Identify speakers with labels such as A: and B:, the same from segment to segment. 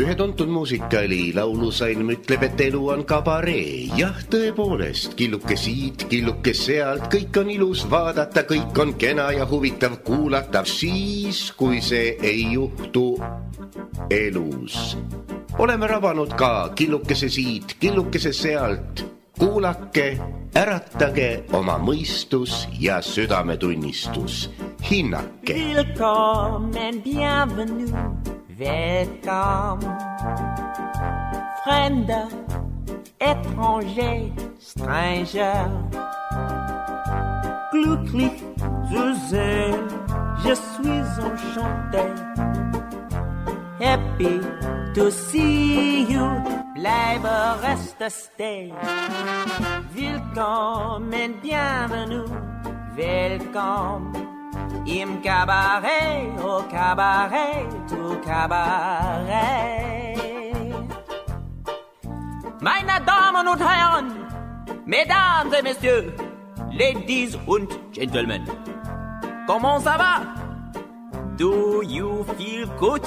A: Ühe tuntud muusikali laulusalm ütleb, et elu on kabaree. Jah, tõepoolest, killuke siit, killuke sealt, kõik on ilus vaadata, kõik on kena ja huvitav kuulata. Siis, kui see ei juhtu elus. Oleme rabanud ka killukese siit, killukese sealt. Kuulake, äratage oma mõistus ja südametunnistus. Hinnake.
B: Willkommen, bienvenue. Welcome, Fremder, étranger, stranger. Glücklich zu sehen, je suis enchanté. Happy to see you, bleibe reste stay. Willkommen, bienvenue, welcome. Im Cabaret, au Cabaret, tout Cabaret. Meine Damen und Herren, Mesdames et Messieurs, Ladies und Gentlemen, comment ça va? Do you feel good?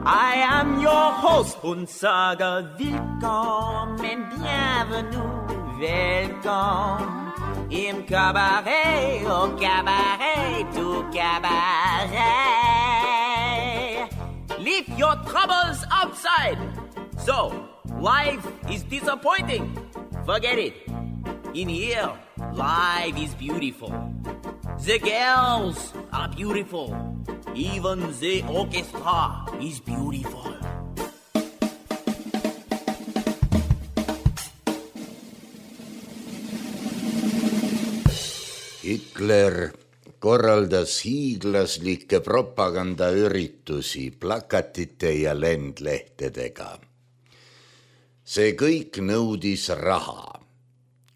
B: I am your host und sage willkommen, bienvenue, welcome. Im Cabaret, au Cabaret, tout Cabaret. Leave your troubles outside. So, life is disappointing. Forget it. In here, life is beautiful. The girls are beautiful. Even the orchestra is beautiful.
A: Hitler korraldas hiiglaslikke propagandaüritusi plakatite ja lendlehtedega. See kõik nõudis raha.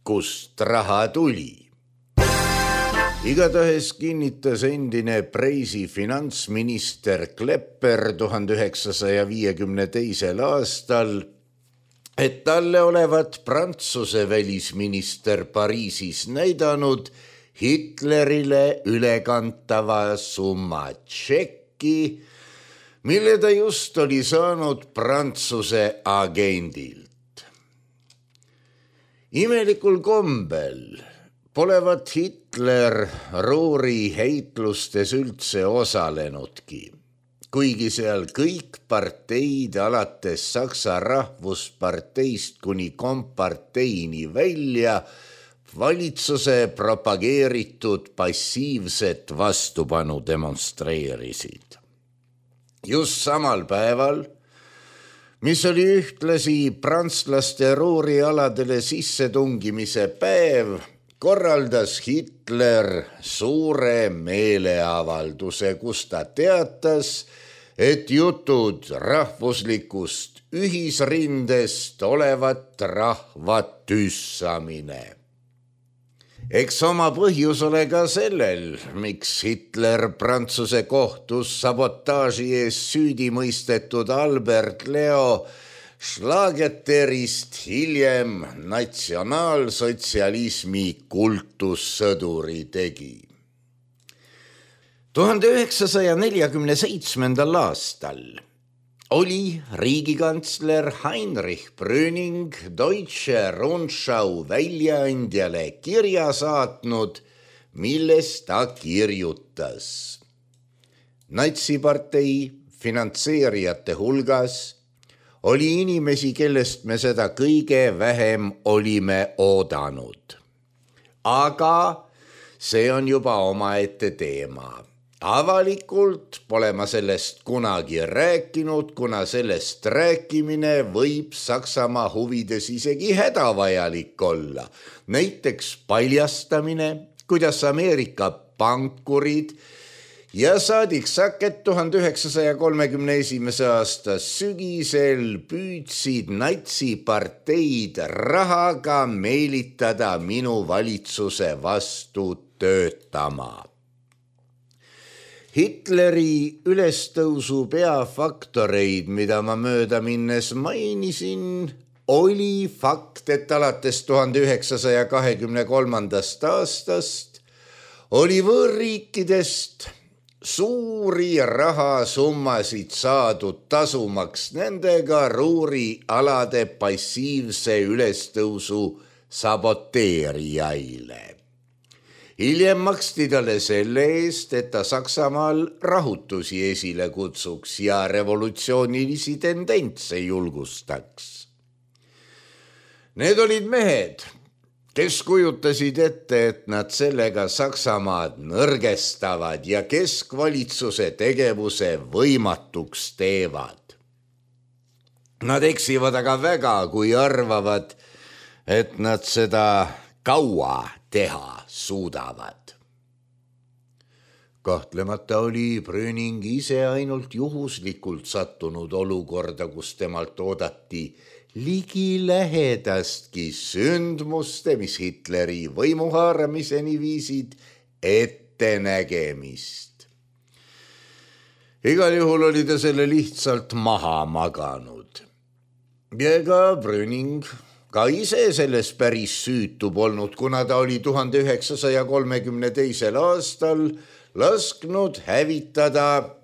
A: Kust raha tuli? Igatahes kinnitas endine Preisi finantsminister Klepper 1952. aastal, et talle olevat Prantsuse välisminister Pariisis näidanud Hitlerile ülekantava summa tšekki, mille ta just oli saanud Prantsuse agendilt. Imelikul kombel polevat Hitler Ruhri heitlustes üldse osalenudki, kuigi seal kõik parteid alates Saksa rahvusparteist kuni komparteini välja valitsuse propageeritud passiivset vastupanu demonstreerisid. Just samal päeval, mis oli ühtlasi prantslaste Ruhri aladele sissetungimise päev, korraldas Hitler suure meeleavalduse, kus ta teatas, et jutud rahvuslikust ühisrindest olevat rahva tüssamine. Eks oma põhjus ole ka sellel, miks Hitler Prantsuse kohtus sabotaaži ees süüdi mõistetud Albert Leo Schlageterist hiljem natsionaalsotsialismi kultussõduri tegi. 1947. aastal oli riigikantsler Heinrich Brüning Deutsche Rundschau väljaandjale kirja saatnud, milles ta kirjutas. Natsipartei finantseerijate hulgas oli inimesi, kellest me seda kõige vähem olime oodanud. Aga see on juba omaette teema. Avalikult pole ma sellest kunagi rääkinud, kuna sellest rääkimine võib Saksamaa huvides isegi hädavajalik olla. Näiteks paljastamine, kuidas Ameerika pankurid ja saadik Saket 1931. aasta sügisel püüdsid natsiparteid rahaga meelitada minu valitsuse vastu töötama. Hitleri ülestõusu peafaktoreid, mida ma mööda minnes mainisin, oli fakt, et alates 1923. aastast oli võõrriikidest
C: suuri rahasummasid saadud tasumaks nendega ruurialade passiivse ülestõusu saboteerijaile. Hiljem maksti talle selle eest, et ta Saksamaal rahutusi esile kutsuks ja revolutsioonilisi tendentse julgustaks. Need olid mehed, kes kujutasid ette, et nad sellega Saksamaad nõrgestavad ja keskvalitsuse tegevuse võimatuks teevad. Nad eksivad aga väga, kui arvavad, et nad seda kaua teha suudavad. Kahtlemata oli Brüning ise ainult juhuslikult sattunud olukorda, kus temalt oodati ligi lähedastki sündmuste, mis Hitleri võimuhaaramiseni viisid, ettenägemist. Igal juhul oli ta selle lihtsalt maha maganud. Ja ega Brüning ka ise selles päris süütu polnud, kuna ta oli 1932. aastal lasknud hävitada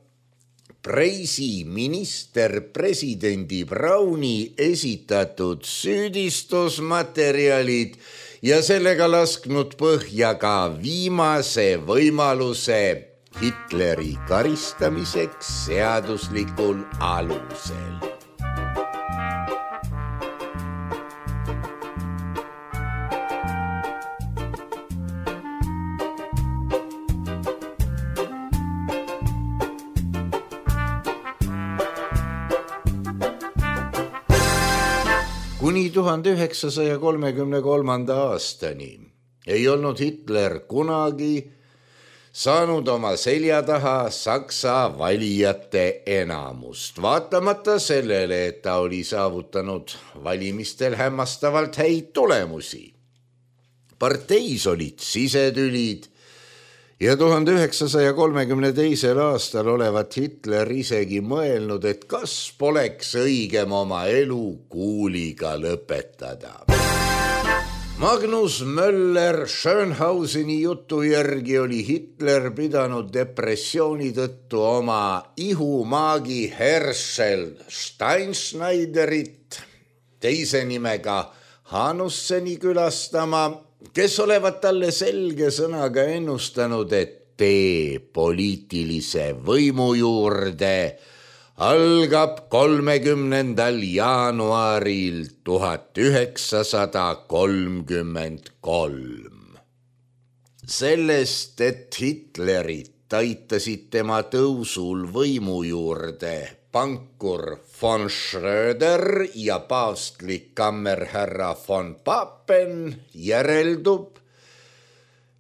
C: Preisi ministerpresidendi Brauni esitatud süüdistusmaterjalid ja sellega lasknud põhja ka viimase võimaluse Hitleri karistamiseks seaduslikul alusel. Kuni 1933. aastani ei olnud Hitler kunagi saanud oma selja taha Saksa valijate enamust, vaatamata sellele, et ta oli saavutanud valimistel hämmastavalt häid tulemusi. Parteis olid sisetülid ja 1932. aastal olevat Hitler isegi mõelnud, et kas poleks õigem oma elu kuuliga lõpetada. Magnus Möller Schönhauseni jutu järgi oli Hitler pidanud depressiooni tõttu oma ihumaagi Herschel Steinschneiderit, teise nimega Hanusseni külastama, kes olevat talle selge sõnaga ennustanud, et tee poliitilise võimu juurde algab 30. jaanuaril 1933. Sellest, et Hitlerit aitasid tema tõusul võimu juurde pankur von Schröder ja paavstlik kammerherra von Papen, järeldub,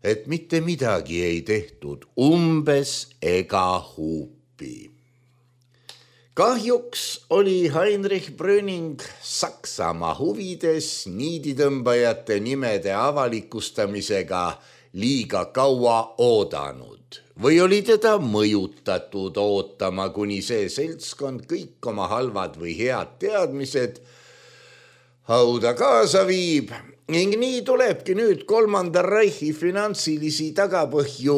C: et mitte midagi ei tehtud umbes ega huupi. Kahjuks oli Heinrich Brüning Saksamaa huvides niiditõmbajate nimede avalikustamisega liiga kaua oodanud või oli teda mõjutatud ootama, kuni see seltskond kõik oma halvad või head teadmised hauda kaasa viib ning nii tulebki nüüd Kolmanda Reichi finantsilisi tagapõhju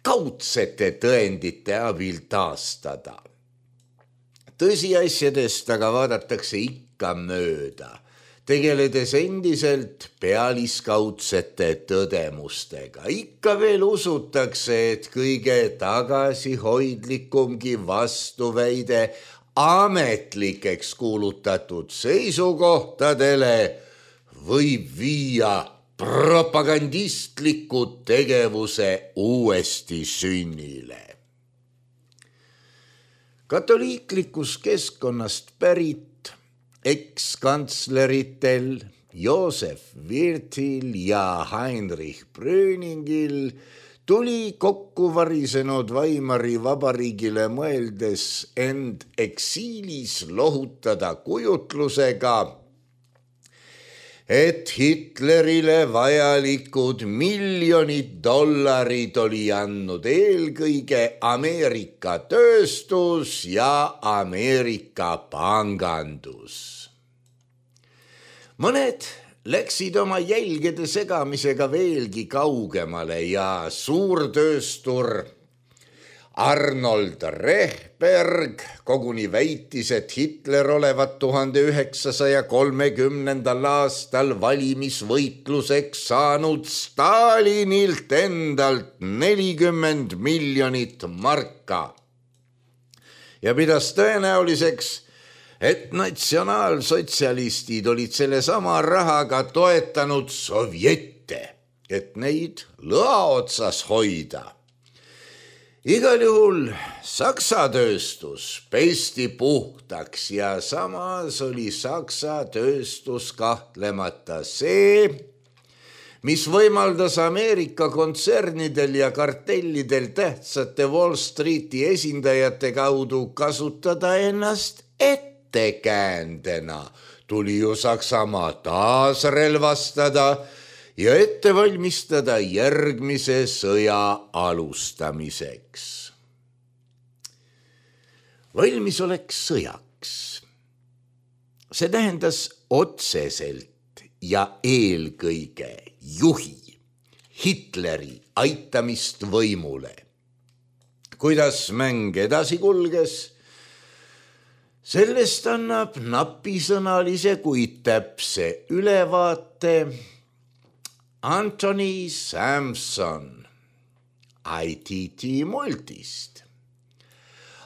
C: kaudsete tõendite abil taastada. Tõsiasjadest aga vaadatakse ikka mööda, tegeledes endiselt pealiskaudsete tõdemustega. Ikka veel usutakse, et kõige tagasihoidlikumgi vastuväide ametlikeks kuulutatud seisukohtadele võib viia propagandistliku tegevuse uuesti sünnile. Katoliiklikus keskkonnast pärit ekskantsleritel Josef Wirthil ja Heinrich Brüningil tuli kokku varisenud Weimari vabariigile mõeldes end eksiilis lohutada kujutlusega, et Hitlerile vajalikud $miljonid oli andnud eelkõige Ameerika tööstus ja Ameerika pangandus. Mõned läksid oma jälgede segamisega veelgi kaugemale ja suurtööstur Arnold Rehberg koguni väitis, et Hitler olevat 1930. aastal valimisvõitluseks saanud Stalinilt endalt 40 miljonit marka ja pidas tõenäoliseks, et natsionaalsotsialistid olid selle sama rahaga toetanud sovjette, et neid lõa otsas hoida. Igal juhul Saksa tööstus pesti puhtaks ja samas oli Saksa tööstus kahtlemata see, mis võimaldas Ameerika kontsernidel ja kartellidel tähtsate Wall Streeti esindajate kaudu kasutada ennast ettekäändena. Tuli ju Saksamaa taas relvastada ja ette valmistada järgmise sõja alustamiseks. Valmisolek sõjaks. See tähendas otseselt ja eelkõige juhi Hitleri aitamist võimule. Kuidas mäng edasi kulges? Sellest annab napisõnalise, kuid täpse ülevaate Anthony Sampson ITT Multist.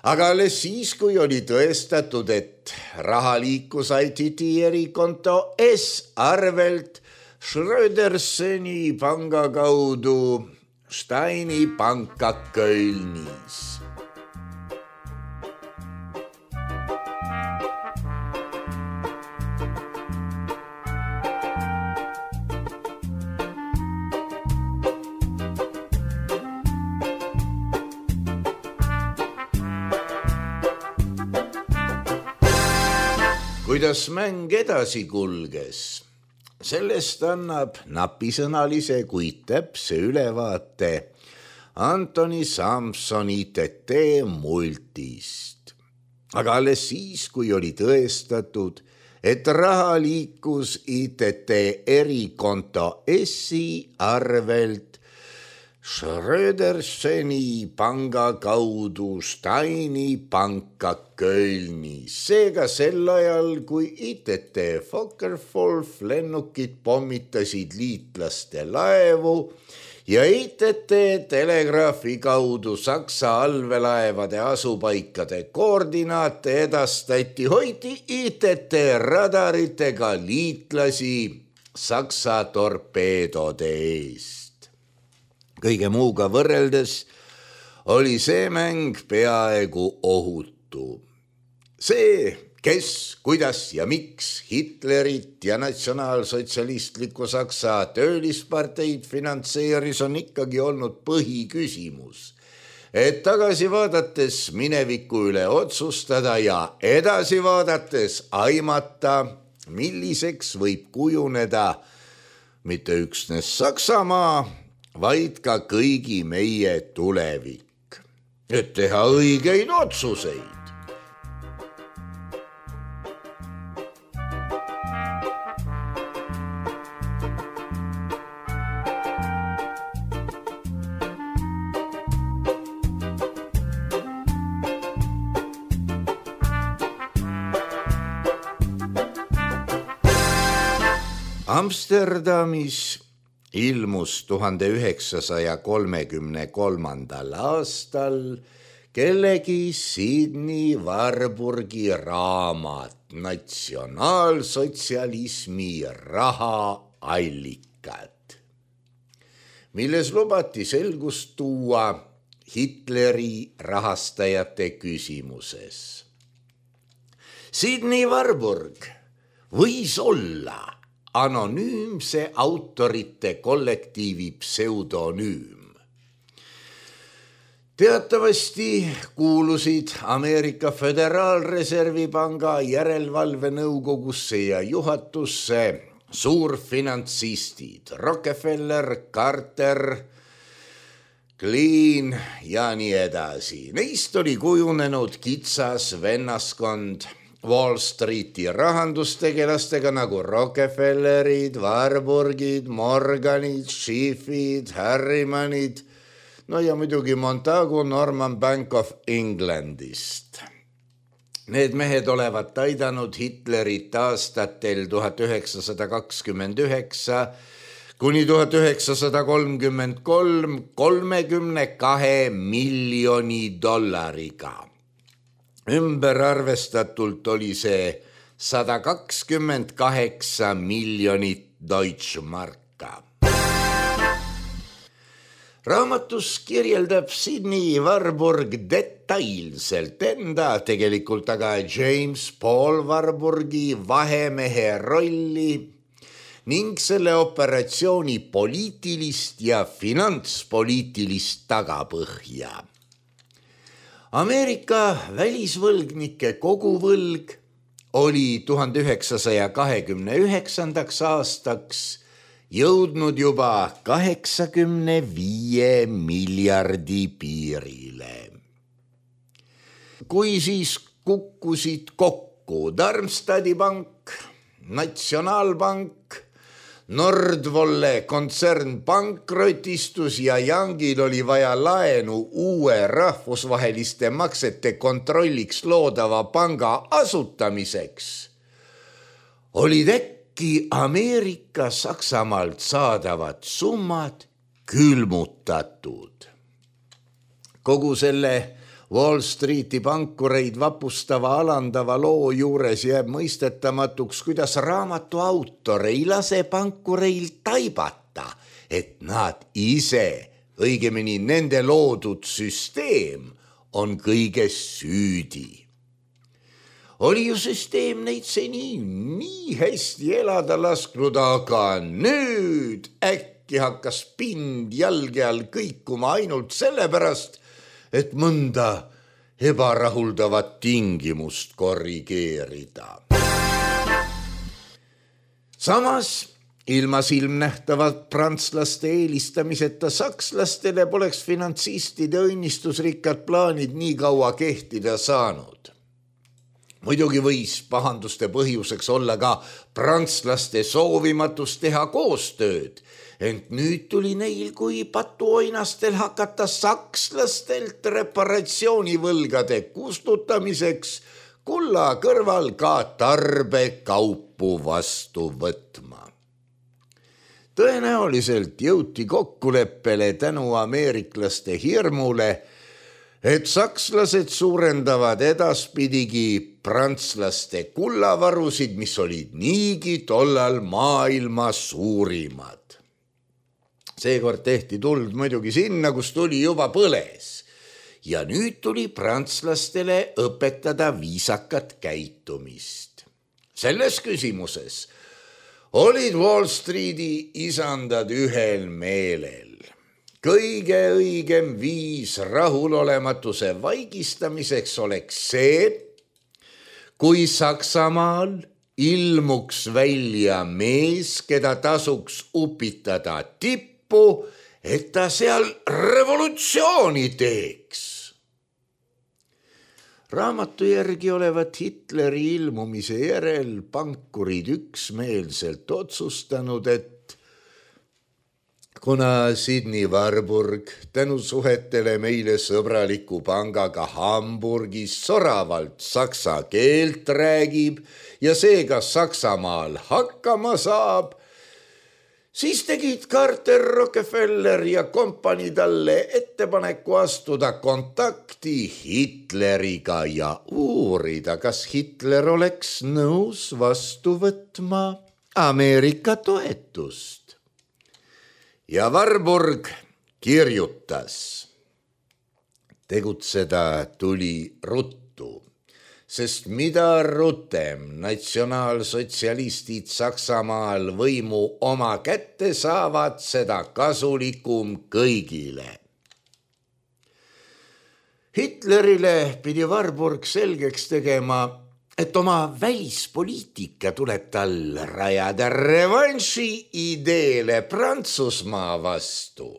C: Aga alles siis, kui oli tõestatud, et raha liikus ITT erikonto S-arvelt Schröderseni panga kaudu Steini panka Kölnis. Kuidas mäng edasi kulges? Sellest annab napisõnalise, kuid täpse ülevaate Anthony Sampson ITT Multist. Aga alles siis, kui oli tõestatud, et raha liikus ITT erikonto S-i arvelt Schröderseni panga kaudu Steini panka Kölnis. Seega sel ajal, kui ITT Focke-Wulf lennukid pommitasid liitlaste laevu ja ITT telegraafi kaudu Saksa allveelaevade asupaikade koordinaate edastati, hoiti ITT radaritega liitlasi Saksa torpeedode eest. Kõige muuga võrreldes oli see mäng peaaegu ohutu. See, kes, kuidas ja miks Hitlerit ja natsionaalsotsialistlikku Saksa töölisparteid finantseeris, on ikkagi olnud põhiküsimus. Et tagasi vaadates mineviku üle otsustada ja edasi vaadates aimata, milliseks võib kujuneda mitte üksnes Saksamaa, vaid ka kõigi meie tulevik, et teha õigeid otsuseid. Amsterdamis ilmus 1933. aastal kellegi Sydney Warburgi raamat Natsionaalsotsialismi rahaallikad, milles lubati selgust tuua Hitleri rahastajate küsimuses. Sydney Warburg võis olla anonüümse autorite kollektiivi pseudonüüm. Teatavasti kuulusid Ameerika Föderaalreservi panga järelevalvenõukogusse ja juhatusse suurfinantsistid Rockefeller, Carter, Klein ja nii edasi. Neist oli kujunenud kitsas vennaskond Wall Streeti rahandustegelastega nagu Rockefellerid, Warburgid, Morganid, Schiffid, Harrimanid, no ja muidugi Montagu Norman Bank of Englandist. Need mehed olevat aidanud Hitlerit aastatel 1929 kuni 1933 $32 miljoni. Ümber arvestatult oli see 128 miljonit Deutschmarka. Raamatus kirjeldab Sidney Warburg detailselt enda, tegelikult aga James Paul Warburgi vahemehe rolli ning selle operatsiooni poliitilist ja finantspoliitilist tagapõhja. Ameerika välisvõlgnike koguvõlg oli 1929. aastaks jõudnud juba 85 miljardi piirile. Kui siis kukkusid kokku Darmstadti pank, Natsionaalpank, Nordvolle kontsern pankrotistus ja Youngil oli vaja laenu uue rahvusvaheliste maksete kontrolliks loodava panga asutamiseks, olid Ameerika Saksamaalt saadavad summad külmutatud. Kogu selle Wall Streeti pankureid vapustava alandava loo juures jääb mõistetamatuks, kuidas raamatu autor ei lase pankureil taibata, et nad ise, õigemini nende loodud süsteem, on kõiges süüdi. Oli ju süsteem neid seni nii hästi elada lasknud, aga nüüd äkki hakkas pind jalge all kõikuma ainult sellepärast, et mõnda ebarahuldavat tingimust korrigeerida. Samas, ilma silmnähtavalt prantslaste eelistamiseta sakslastele poleks finantsistide õnnistusrikkad plaanid nii kaua kehtida saanud. Muidugi võis pahanduste põhjuseks olla ka prantslaste soovimatus teha koostööd, ent nüüd tuli neil kui patuoinastel hakata sakslastelt reparatsioonivõlgade kustutamiseks kulla kõrval ka tarbekaupu vastu võtma. Tõenäoliselt jõuti kokkuleppele tänu ameeriklaste hirmule, et sakslased suurendavad edaspidigi prantslaste kullavarusid, mis olid niigi tollal maailma suurimad. Seekord tehti tuld muidugi sinna, kus tuli juba põles. Ja nüüd tuli prantslastele õpetada viisakat käitumist. Selles küsimuses olid Wall Streeti isandad ühel meelel. Kõige õigem viis rahulolematuse vaigistamiseks oleks see, kui Saksamaal ilmuks välja mees, keda tasuks upitada tippu, et ta seal revolutsiooni teeks. Raamatu järgi olevat Hitleri ilmumise järel pankurid üksmeelselt otsustanud, et kuna Sidney Warburg tänu suhetele meile sõbraliku pangaga Hamburgis soravalt saksa keelt räägib ja seega Saksamaal hakkama saab, siis tegid Carter, Rockefeller ja kompanii talle ettepaneku astuda kontakti Hitleriga ja uurida, kas Hitler oleks nõus vastu võtma Ameerika toetust. Ja Warburg kirjutas. Tegutseda tuli ruttu, sest mida rutem natsionaalsotsialistid Saksamaal võimu oma kätte saavad, seda kasulikum kõigile. Hitlerile pidi Warburg selgeks tegema, et oma välispoliitika tuleb tal rajada revanši ideele Prantsusmaa vastu.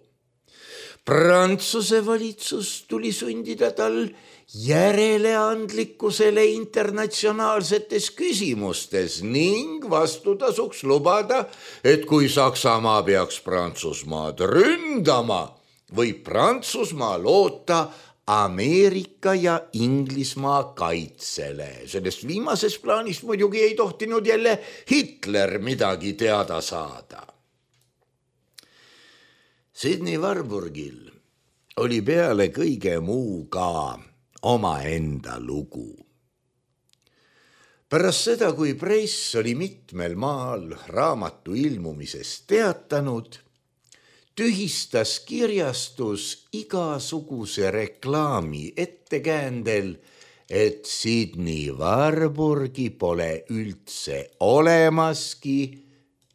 C: Prantsuse valitsus tuli sundida tal järeleandlikkusele internatsionaalsetes küsimustes ning vastutasuks lubada, et kui Saksamaa peaks Prantsusmaad ründama, võib Prantsusmaa loota Ameerika ja Inglismaa kaitsele. Sellest viimases plaanis muidugi ei tohtinud jälle Hitler midagi teada saada. Sydney Warburgil oli peale kõige muu ka omaenda lugu. Pärast seda, kui press oli mitmel maal raamatu ilmumisest teatanud, tühistas kirjastus igasuguse reklaami ettekäändel, et Sydney Warburgi pole üldse olemaski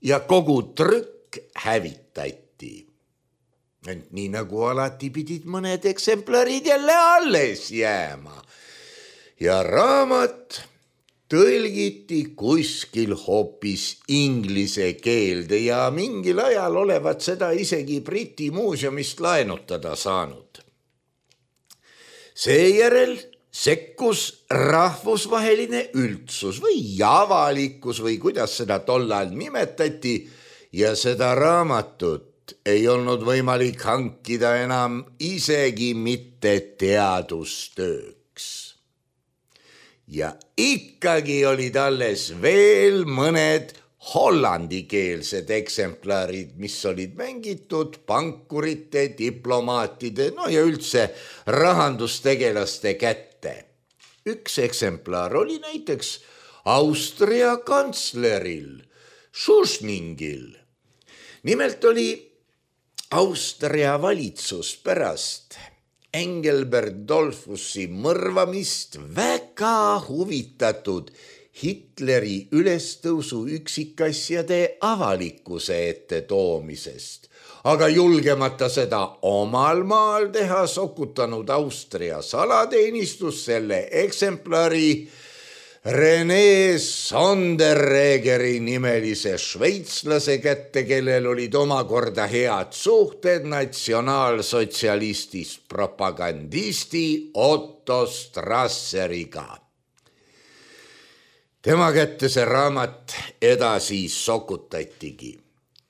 C: ja kogu trükk hävitati. Ent nii nagu alati pidid mõned eksemplarid jälle alles jääma ja raamat tõlgiti kuskil hoopis inglise keelde ja mingil ajal olevat seda isegi Briti muuseumist laenutada saanud. Seejärel sekkus rahvusvaheline üldsus või avalikkus või kuidas seda tollal nimetati ja seda raamatut ei olnud võimalik hankida enam isegi mitte teadustööks. Ja ikkagi olid alles veel mõned hollandikeelsed eksemplarid, mis olid mängitud pankurite, diplomaatide, ja üldse rahandustegelaste kätte. Üks eksemplar oli näiteks Austria kantsleril Schuschningil. Nimelt oli Austria valitsus pärast Engelbert Dollfusi mõrvamist väga huvitatud Hitleri ülestõusu üksikasjade avalikkuse ette toomisest, aga julgemata seda omal maal teha, sokutanud Austria salateenistus selle eksemplari René Sonderegeri nimelise šveitslase kätte, kellel olid omakorda head suhted natsionaalsotsialistist propagandisti Otto Strasseriga. Tema kätte see raamat edasi sokutatigi.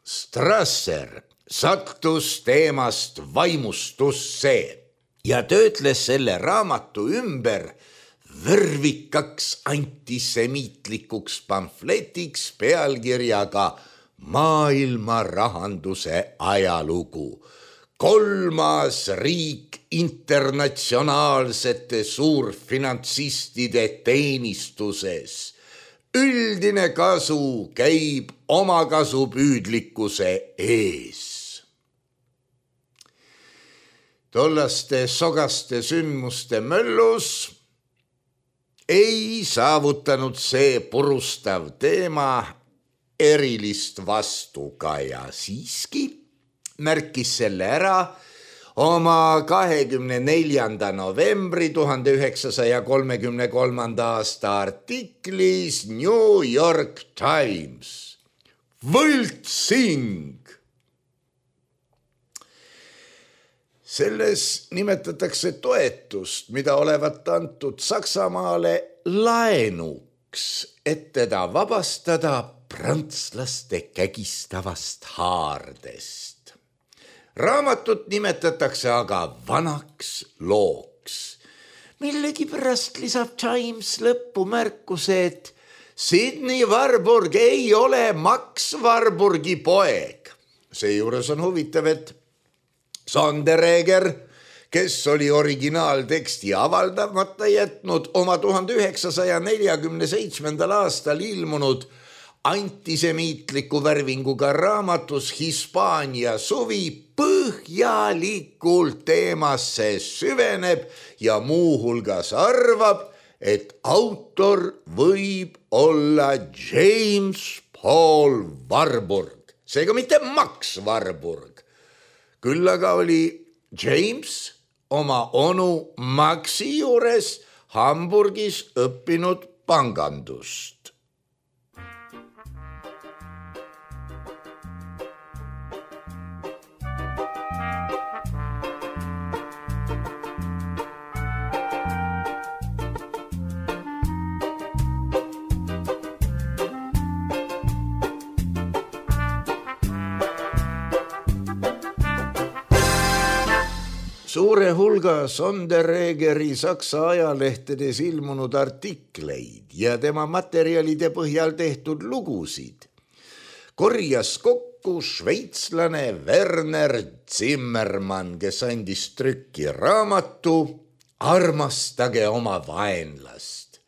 C: Strasser sattus teemast vaimustusse ja töötles selle raamatu ümber värvikaks antisemiitlikuks pamfletiks pealkirjaga Maailma rahanduse ajalugu. 3. riik internatsionaalsete suurfinantsistide teenistuses. Üldine kasu käib omakasupüüdlikkuse ees. Tollaste sogaste sündmuste möllus ei saavutanud see purustav teema erilist vastukaja. Siiski märkis selle ära oma 24. novembri 1933. aasta artiklis New York Times. Võltsing! Selles nimetatakse toetust, mida olevat antud Saksamaale laenuks, et teda vabastada prantslaste kägistavast haardest. Raamatut nimetatakse aga vanaks looks. Millegipärast lisab Times lõppu märkuse, et Sydney Warburg ei ole Max Warburgi poeg. Seejuures on huvitav, et Sondereger, kes oli originaalteksti avaldamata jätnud oma 1947. aastal ilmunud antisemiitliku värvinguga raamatus Hispaania suvi põhjalikult teemasse süveneb ja muuhulgas arvab, et autor võib olla James Paul Warburg, seega mitte Max Warburg. Küll aga oli James oma onu Maxi juures Hamburgis õppinud pangandust. Suure hulga Sonderegeri Saksa ajalehtedes ilmunud artikleid ja tema materjalide põhjal tehtud lugusid korjas kokku šveitslane Werner Zimmermann, kes andis trükki raamatu Armastage oma vaenlast.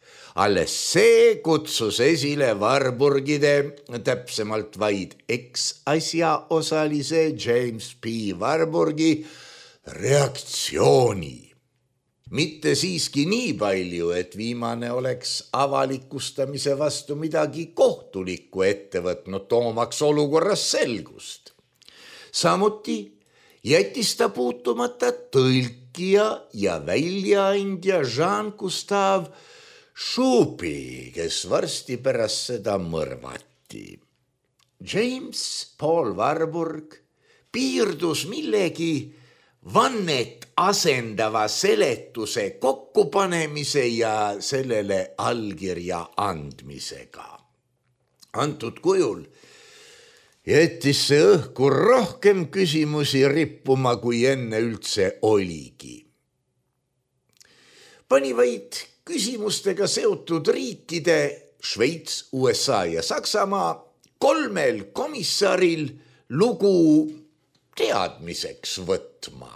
C: Alles see kutsus esile Warburgide, täpsemalt vaid eksasja osalise James P. Warburgi reaktsiooni. Mitte siiski nii palju, et viimane oleks avalikustamise vastu midagi kohtulikku ette võtnud, toomaks olukorras selgust. Samuti jättis ta puutumata tõlkija ja väljaandja Jean-Gustave Choupi, kes varsti pärast seda mõrvati. James Paul Warburg piirdus millegi vannet asendava seletuse kokkupanemise ja sellele allkirja andmisega. Antud kujul jättis see õhku rohkem küsimusi rippuma, kui enne üldse oligi. Pani vaid küsimustega seotud riikide Šveits, USA ja Saksamaa 3 komissaril lugu teadmiseks võtma.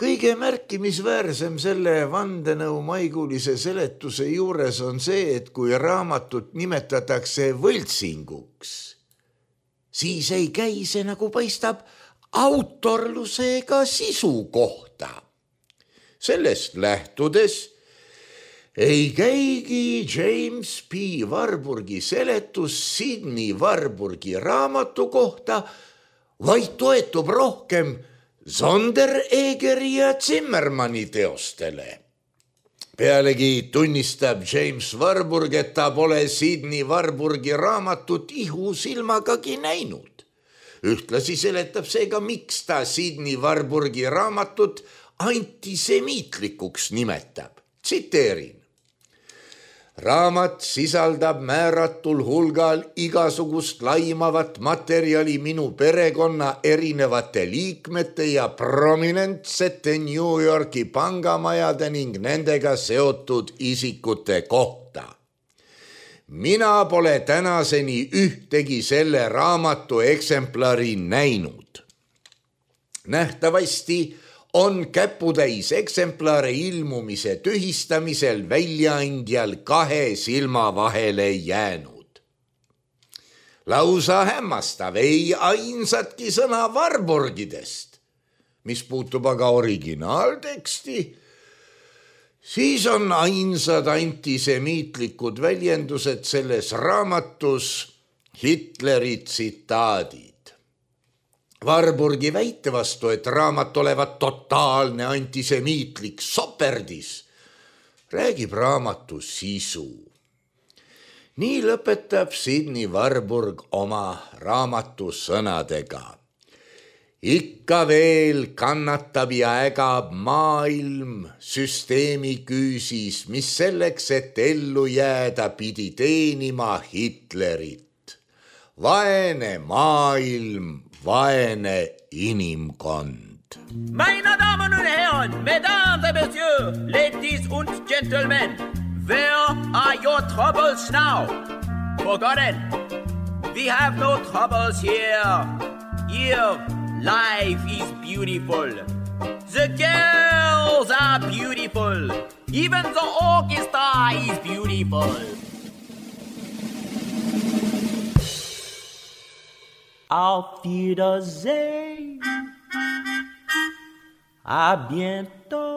C: Kõige märkimisväärsem selle vandenõu maigulise seletuse juures on see, et kui raamatut nimetatakse võltsinguks, siis ei käi see, nagu paistab, autorluse ega sisu kohta. Sellest lähtudes ei käigi James P. Warburgi seletus Sidney Warburgi raamatu kohta, vaid toetub rohkem Sonderegeri ja Zimmermanni teostele. Pealegi tunnistab James Warburg, et ta pole Sidney Warburgi raamatut ihusilmagagi näinud. Ühtlasi seletab seega, miks ta Sidney Warburgi raamatut antisemiitlikuks nimetab. Tsiteerin. Raamat sisaldab määratul hulgal igasugust laimavat materjali minu perekonna erinevate liikmete ja prominentsete New Yorki pangamajade ning nendega seotud isikute kohta. Mina pole tänaseni ühtegi selle raamatu eksemplari näinud. Nähtavasti on käputäis eksemplare ilmumise tühistamisel väljaandjal 2 silma vahele jäänud. Lausa hämmastav, ei ainsatki sõna Warburgidest. Mis puutub aga originaalteksti, siis on ainsad antisemiitlikud väljendused selles raamatus Hitleri tsitaadid. Warburgi väite vastu, et raamat olevat totaalne antisemiitlik soperdis, räägib raamatu sisu. Nii lõpetab Sidney Warburg oma raamatu sõnadega. Ikka veel kannatab ja ägab maailm süsteemi küüsis, mis selleks, et ellu jääda, pidi teenima Hitlerit. Vaene maailm, vaene inimkond.
B: Meine Damen und Herren, Mesdames et Messieurs, Ladies und Gentlemen, where are your troubles now? Forgotten. We have no troubles here. Here, life is beautiful. The girls are beautiful. Even the orchestra is beautiful. Auf Wiedersehen. À bientôt.